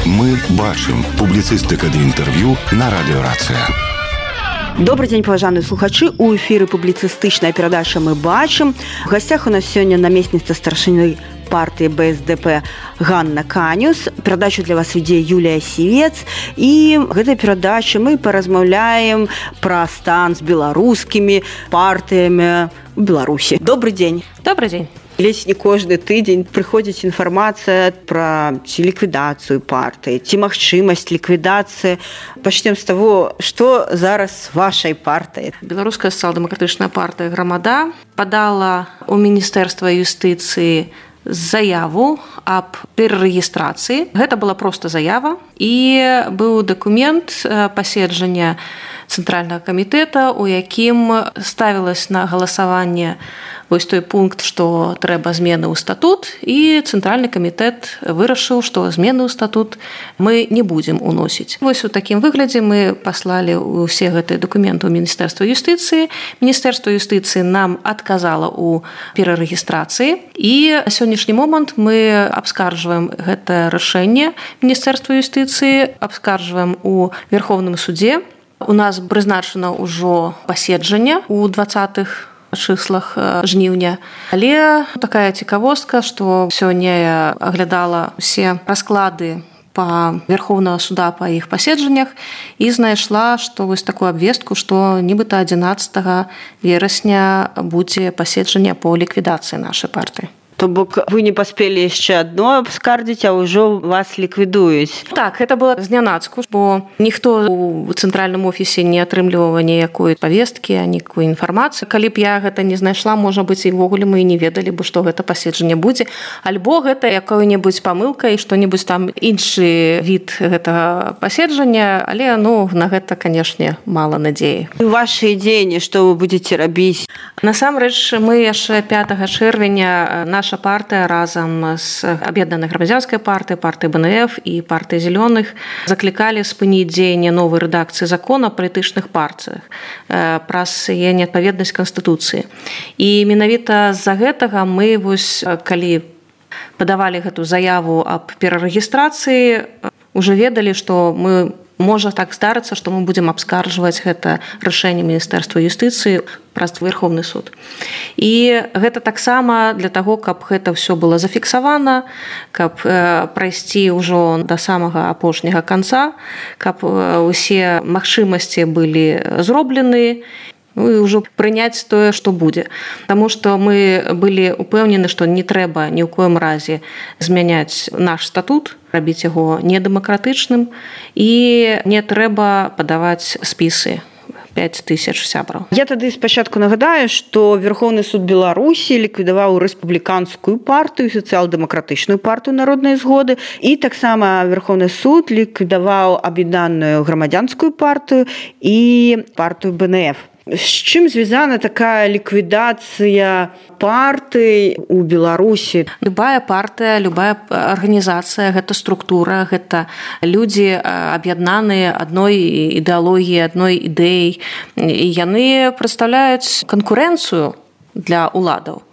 Мы бачым. Публіцыстыка ды інтэрв'ю на радыёрацыя. Добрый день, паважаныя слухачы. У эфіры публіцыстычная перадача «Мы бачым». У гасцях у нас сёння намесніца старшыны партии БСДП Ганна Канюс. Перадачу для вас вядзе Юлія Сівец. І гэтай перадачы мы паразмаўляем пра стан з беларускімі партыямі ў Беларусі. Добрый день. Добрый день. Ледзь не кожны тыдзень прыходзіць інфармацыя пра ці ліквідацыю партыі, ці магчымасць ліквідацыі. Пачнем з таго, што зараз вашай партыі. Беларуская сацыял-дэмакратычная партыя «Грамада» падала ў Міністэрства юстыцыі заяву аб перарэгістрацыі. Гэта была проста заява. І быў дакумент паседжання Цэнтральнага камітэта, у якім ставілася на галасаванне вось той пункт, што трэба змены ў статут, і Цэнтральны камітэт вырашыў, што змены ў статут мы не будзем уносіць. Вось у такім выглядзе мы паслалі ўсе гэтыя дакументы ў Міністэрства юстыцыі. Міністэрства юстыцыі нам адказала ў перарэгістрацыі, і на сённяшні момант мы абскарджваем гэтае рашэнне Міністэрства юстыцыі, абскарджваем у Верховным судзе. У нас прызначана ўжо паседжанне ў 20-х чыслах жніўня. Але такая цікавостка, што сёння я аглядала ўсе расклады па Верховнага суда па іх паседжаннях і знайшла, што вось такую абвестку, што нібыта 11 верасня будзе паседжанне по ліквідацыі нашай партыі. То бок вы не паспелі яшчэ адно абскардзіць, а ўжо вас ліквідуюць. Так, гэта было знянацку, бо ніхто ў цэнтральным офісе не атрымліваў ніякой павесткі, ніякой інфармацыі. Калі б я гэта не знайшла, можа быць, і ўвогуле мы не ведалі бы, што гэта паседжанне будзе. Альбо гэта якая-небудзь памылка і што-небудзь там іншы від гэтага паседжання, але на гэта, канешне, мала надзеі. Вашы дзеянні, што вы будзеце рабіць? Насамрэч, мы яшчэ 5 чэрвеня наша партыя разам з аб'яднанай грамадзянскай партыяй, партыяй БНФ і партыяй зялёных заклікалі спыніць дзеянне новай рэдакцыі закона о палітычных партыях праз яе неадпаведнасць Канстытуцыі. І менавіта з-за гэтага мы, вось, калі падавалі гэту заяву аб перарэгістрацыі, уже ведалі, што можа так здарыцца, што мы будзем абскарджваць гэта рашэнне Міністэрства юстыцыі праз Верховны суд. І гэта таксама для таго, каб гэта ўсё было зафіксавана, каб прайсці ўжо да самага апошняга канца, каб усе магчымасці былі зроблены, і ўжо прыняць тое, што будзе. Таму што мы былі упэўнены, што не трэба ні ў коім разе змяняць наш статут, рабіць яго недэмакратычным, і не трэба падаваць спісы 5000 сябраў. Я тады спачатку нагадаю, што Верховны суд Беларусі ліквідаваў рэспубліканскую партыю, сацыял-дэмакратычную партыю народнай згоды, і таксама Верховны суд ліквідаваў аб'яднаную грамадзянскую партыю і партыю БНФ. З чым звязана такая ліквідацыя партый у Беларусі? Любая партыя, любая арганізацыя, гэта структура, гэта людзі аб'яднаныя адной ідэалогіяй, адной ідэяй. І яны прадстаўляюць канкурэнцыю для ўладаў.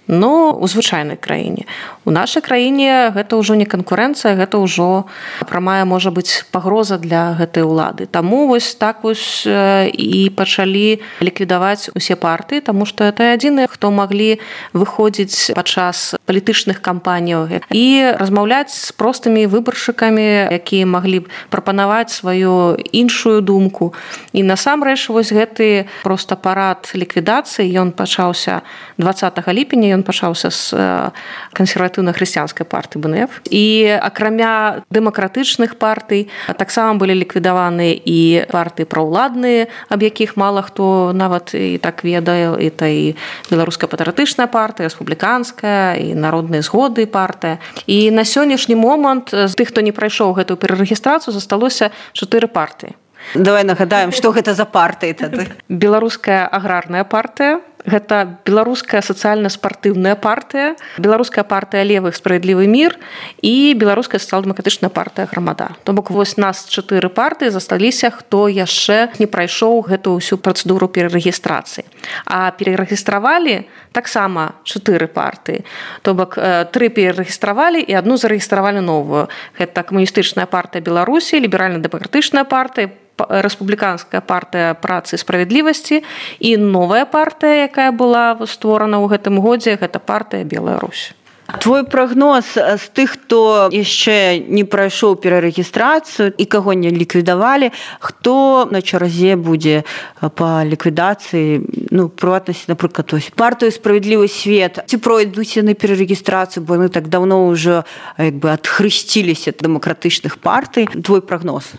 У звычайнай краіне. У нашай краіне гэта ўжо не канкурэнцыя, гэта ўжо прамая, можа быць, пагроза для гэтай улады. Таму вось так вось і пачалі ліквідаваць усе партыі, таму што гэта адзіныя, хто маглі выходзіць падчас палітычных кампаніяў і размаўляць з простымі выбаршчыкамі, якія маглі прапанаваць сваю іншую думку. І насамрэч вось гэты проста парад ліквідацыі, ён пачаўся 20 ліпеня, ён пачаўся з кансерватыўна-хрысціянскай партыі БНФ. І акрамя дэмакратычных партый таксама былі ліквідаваны і партыі праўладныя, аб якіх мала хто нават і так ведае. Это і беларуская патрыятычная партыя, рэспубліканская, і народныя згоды партыя. І на сённяшні момант з тых, хто не прайшоў гэтую перарэгістрацыю, засталося 4 партыі. Давай нагадаем, што гэта за партыі тады. Беларуская аграрная партыя, Гэта беларуская сацыяльна-спартыўная партыя, беларуская партыя левых справядлівы мір і беларуская сацыял-дэмакратычная партыя грамада. То бок вось нас 4 партыі засталіся, хто яшчэ не прайшоў гэту ўсю працэдуру перарэгістрацыі. А перарэгістравалі таксама 4 партыі. То бок 3 перарэгістравалі і 1 зарэгістравалі новую. Гэта камуністычная партыя Беларусі, ліберальна-дэмакратычная партыя, рэспубліканская партыя працы і справядлівасці і новая партыя, якая была створана ў гэтым годзе, гэта партыя Белая Русь. Твой прагноз з тых, хто яшчэ не прайшоў перарэгістрацыю і каго не ліквідавалі, хто на чарзе будзе па ліквідацыі, прыватнасці, напрыклад, партыю «Справядлівы свет». Ці пройдуць яны перарэгістрацыю, бо яны так даўно ўжо адхрысціліся ад дэмакратычных партый. Твой прагноз?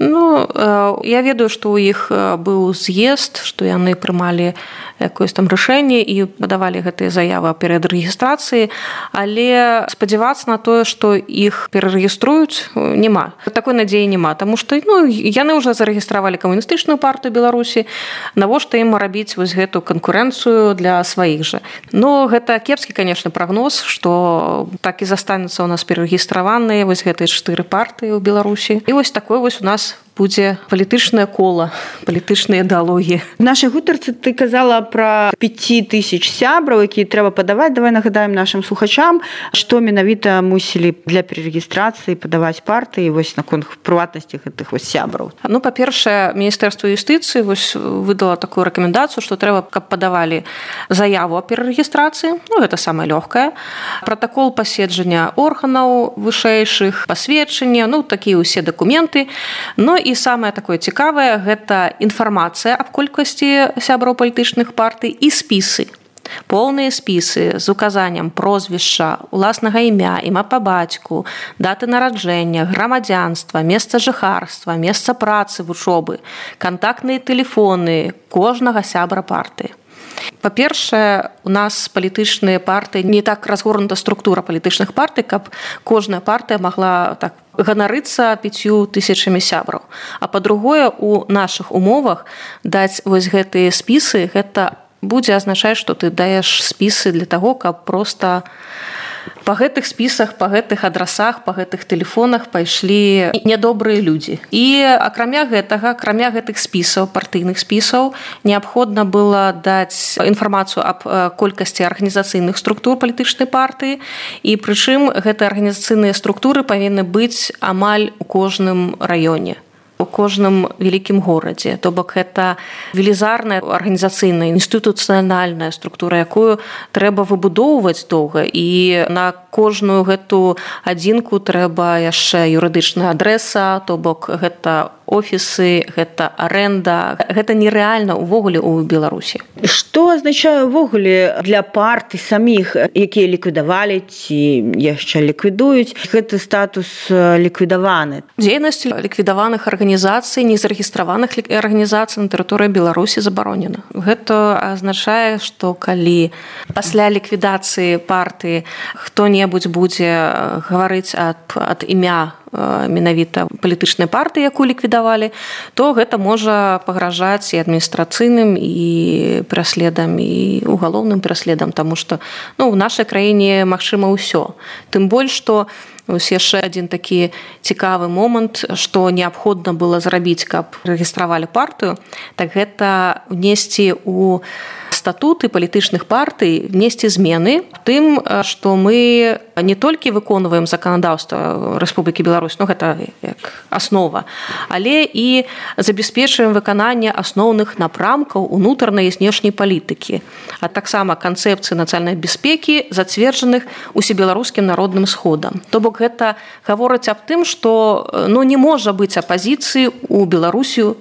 Я ведаю, што ў іх быў з'езд, што яны прымалі якое-то там рашэнне і падавалі гэтыя заявы о перарэгістрацыі, але спадзявацца на тое, што іх перарэгіструюць, няма. Такой надзеі няма, таму што яны ўжо зарэгістравалі камуністычную партыю Беларусі, навошта ім рабіць вось гэту канкурэнцыю для сваіх жа. Гэта кепскі, канешне, прагноз, што так і застанецца ў нас перарэгістраваныя вось гэтыя 4 партыі ў Беларусі. І вось такой вось у нас будзе палітычнае кола, палітычныя ідэалогіі. В нашай гутарцы ты казала пра 5000 сябраў, якія трэба падаваць. Давай нагадаем нашым слухачам, што менавіта мусілі для перарэгістрацыі падаваць партыі вось наконт прыватнасці гэтых вось сябраў. Па-першае, Міністэрства юстыцыі вось выдала такую рэкамендацыю, што трэба, каб падавалі заяву о перарэгістрацыі, гэта самае лёгкае, пратакол паседжання органаў вышэйшых, пасведчання, такія ўсе дакументы. І самае такое цікавае – гэта інфармацыя аб колькасці сябраў палітычных партый і спісы. Поўныя спісы з указаннем прозвішча, уласнага імя, імя па бацьку, даты нараджэння, грамадзянства, месца жыхарства, месца працы, вучобы, кантактныя тэлефоны кожнага сябра партыі. Па-першае, у нас палітычныя партыі, не так разгорнута структура палітычных партый, каб кожная партыя магла так ганарыцца 5000 сябраў. А па-другое, у нашых умовах даць вось гэтыя спісы, гэта будзе азначаць, што ты даеш спісы для таго, каб проста па гэтых спісах, па гэтых адрасах, па гэтых тэлефонах пайшлі нядобрыя людзі. І акрамя гэтых спісаў, партыйных спісаў, неабходна было даць інфармацыю аб колькасці арганізацыйных структур палітычнай партыі, і прычым гэтыя арганізацыйныя структуры павінны быць амаль у кожным раёне, у кожным вялікім горадзе. То бок гэта велізарная арганізацыйная, інстытуцыянальная структура, якую трэба выбудоўваць доўга, і на кожную гэту адзінку трэба яшчэ юрыдычная адрэса, то бок гэта офісы, гэта арэнда. Гэта нерэальна ўвогуле ў Беларусі. Што азначае ўвогуле для партый саміх, якія ліквідавалі ці яшчэ ліквідуюць, гэты статус ліквідаваны? Дзейнасць ліквідаваных арганізацый, незарэгістраваных арганізацый на тэрыторыі Беларусі забаронена. Гэта азначае, што калі пасля ліквідацыі партыі хто-небудзь будзе гаварыць ад імя менавіта палітычнай партыі, якую ліквідавалі, то гэта можа пагражаць і адміністрацыйным, і пераследам, і угалоўным пераследам, таму што ў нашай краіне магчыма ўсё. Тым больш, што яшчэ адзін такі цікавы момант, што неабходна было зрабіць, каб рэгістравалі партыю, так гэта внесці ў статуты палітычных партый, внесці змены тым, што мы не толькі выконваем заканадаўства Рэспублікі Беларусь, гэта як аснова, але і забяспечваем выкананне асноўных напрамкаў унутранай і знешняй палітыкі, а таксама канцэпцыі нацыянальнай бяспекі, зацверджаных усебеларускім народным сходам. То бок гэта гаворыць аб тым, што не можа быць апазіцыі ў Беларусі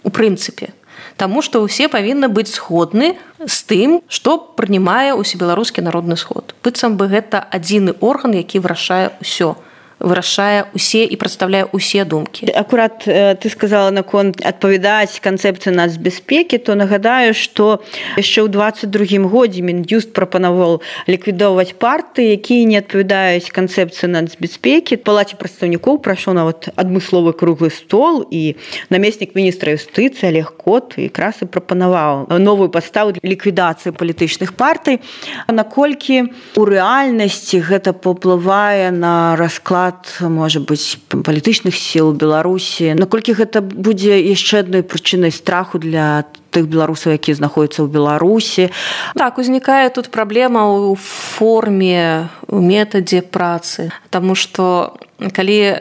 у прынцыпе. Таму што ўсе павінны быць згодны з тым, што прынимае усебеларускі народны сход. Быццам бы гэта адзіны орган, які вырашае ўсё. вырашае усе і прадстаўляе усе думкі. Акурат ты сказала наконт адпавядаць канцэпцыі нацбяспекі, то нагадаю, што яшчэ ў 22 годзе Мін'юст прапанаваў ліквідоўваць партыі, якія не адпавядаюць канцэпцыі нацбяспекі. В Палаце прадстаўнікоў прайшоў нават адмысловы круглы стол, і намеснік міністра юстыцыі Олег Кот якраз і прапанаваў новую падставу для ліквідацыі палітычных партый. Наколькі у рэальнасці гэта паўплывае на расклад, можа быць, палітычных сіл Беларусі, наколькі гэта будзе яшчэ адной прычынай страху для тых беларусаў, якія знаходзяцца ў Беларусі? Так, узнікае тут праблема ў форме, у метадзе працы, таму што калі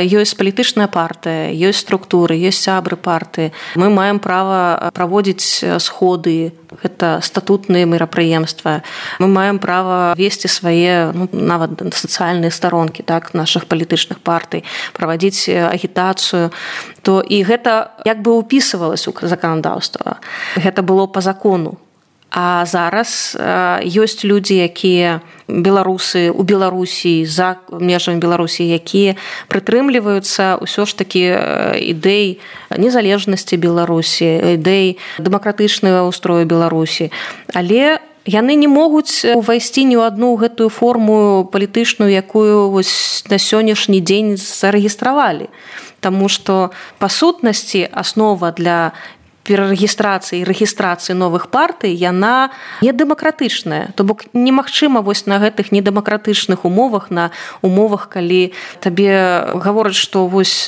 ёсць палітычная партыя, ёсць структуры, ёсць сябры партыі, мы маем права праводзіць сходы, гэта статутныя мерапрыемствы, мы маем права весці свае нават сацыяльныя старонкі, так, нашых палітычных партый, правадзіць агітацыю, то і гэта як бы ўпісывалася ў заканадаўства. Гэта было па закону. А зараз ёсць людзі, якія беларусы ў Беларусі, за межамі Беларусі, якія прытрымліваюцца ўсё ж такі ідэй незалежнасці Беларусі, ідэй дэмакратычнага ўстрою Беларусі. Але яны не могуць увайсці ні ў адну гэтую форму палітычную, якую вось на сённяшні дзень зарэгістравалі. Таму што па сутнасці аснова для перарэгістрацыі і рэгістрацыі новых партый, яна недэмакратычная. То бок немагчыма вось на гэтых недэмакратычных умовах, на умовах, калі табе гавораць, што вось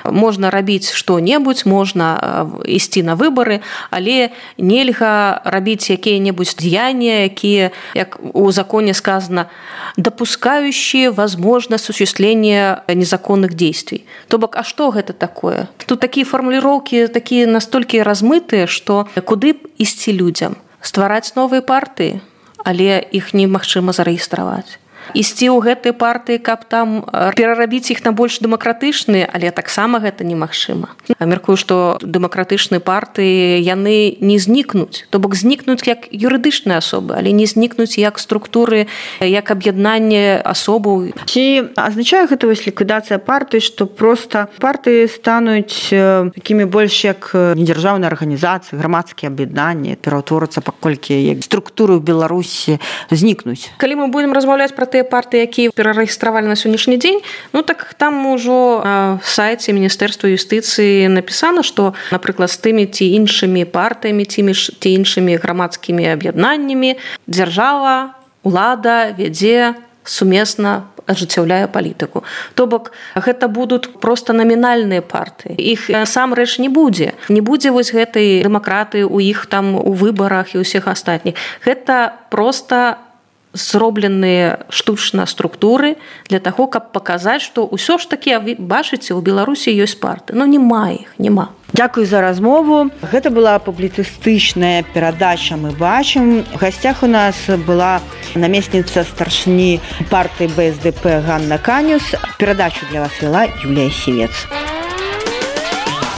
можна рабіць што-небудзь, можна ісці на выбары, але нельга рабіць якія-небудзь дзеянні, якія, як у законе сказано, допускающие возможность осуществления незаконных действий. То бок, а што гэта такое? Тут такія фармуліроўкі, такія настолькі размытыя, што куды б ісці людзям? Ствараць новыя партыі, але іх немагчыма зарэгістраваць. Ісці ў гэтай партыі, каб там перарабіць іх на больш дэмакратычныя, але таксама гэта немагчыма. Мяркую, што дэмакратычныя партыі, яны не знікнуць. То бок знікнуць як юрыдычныя асобы, але не знікнуць як структуры, як аб'яднанне асобаў. Ці азначае гэта вось ліквідацыя партый, што проста партыі стануць такімі больш як недзяржаўныя арганізацыі, грамадскія аб'яднанні, пераўтворацца, паколькі як структуры ў Беларусі знікнуць. Калі мы будзем размаўляць пра тыя партыі, якія перарэгістравалі на сённяшні дзень, так там ужо на сайце Міністэрства юстыцыі напісана, што, напрыклад, з тымі ці іншымі партыямі, ці іншымі грамадскімі аб'яднаннямі дзяржава, улада вядзе сумесна, ажыццяўляе палітыку. То бок, гэта будуць проста намінальныя партыі. Іх насамрэч не будзе. Не будзе вось гэтай дэмакратыі ў іх там у выбарах і ўсіх астатніх. Гэта проста зробленыя штучна структуры для таго, каб паказаць, што ўсё ж такі, бачыце, у Беларусі ёсць парты. Няма іх, няма. Дзякуй за размову. Гэта была публіцыстычная перадача «Мы бачым». В гасцях у нас была намесніца старшыні партыі БСДП Ганна Канюс. Перадачу для вас вела Юлія Сівец.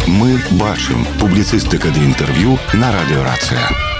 «Мы бачым» – публіцыстыка ды інтэрв'ю на радыё «Рацыя».